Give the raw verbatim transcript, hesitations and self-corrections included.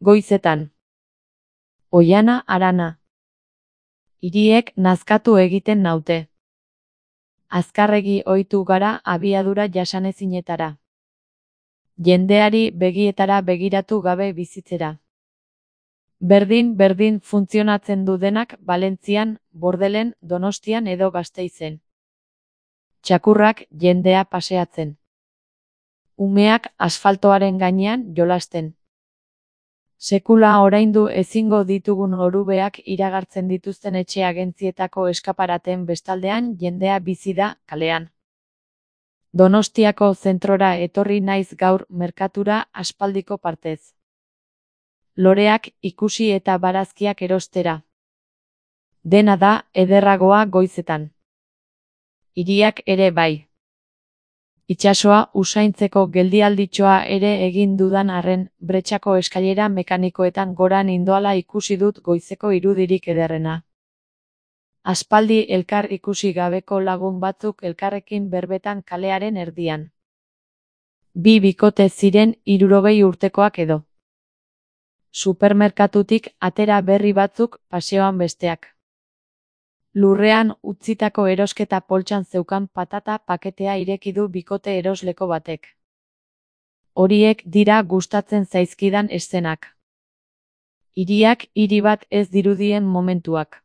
Goizetan. Oihana harana. Hiriek nazkatu egiten naute. Azkarregi ohitu gara abiadura jasanezinetara. Jendeari begietara begiratu gabe bizitzera. Berdin-berdin funtzionatzen du denak Valentzian, Bordelen, Donostian edo Gasteizen. Txakurrak jendea paseatzen. Umeak asfaltoaren gainean jolasten. Sekula oraindu ezingo ditugun orubeak iragartzen dituzten etxe agentzietako eskaparaten bestaldean jendea bizi da kalean. Donostiako zentrora etorri naiz gaur merkatura aspaldiko partez. Loreak ikusi eta barazkiak erostera. Dena da ederragoa goizetan. Hiriak ere bai. Itsasoa usaintzeko geldialditxoa ere egin dudan arren, bretxako eskailera mekanikoetan gora nindoala ikusi dut goizeko irudirik ederrena. Aspaldi elkar ikusi gabeko lagun batzuk elkarrekin berbetan kalearen erdian. Bi bikote ziren hirurogei urtekoak edo. Supermerkatutik atera berri batzuk, paseoan besteak. Lurrean utzitako erosketa poltsan zeukan patata paketea ireki du bikote erosleko batek. Horiek dira gustatzen zaizkidan eszenak. Hiriak hiri bat ez dirudien momentuak.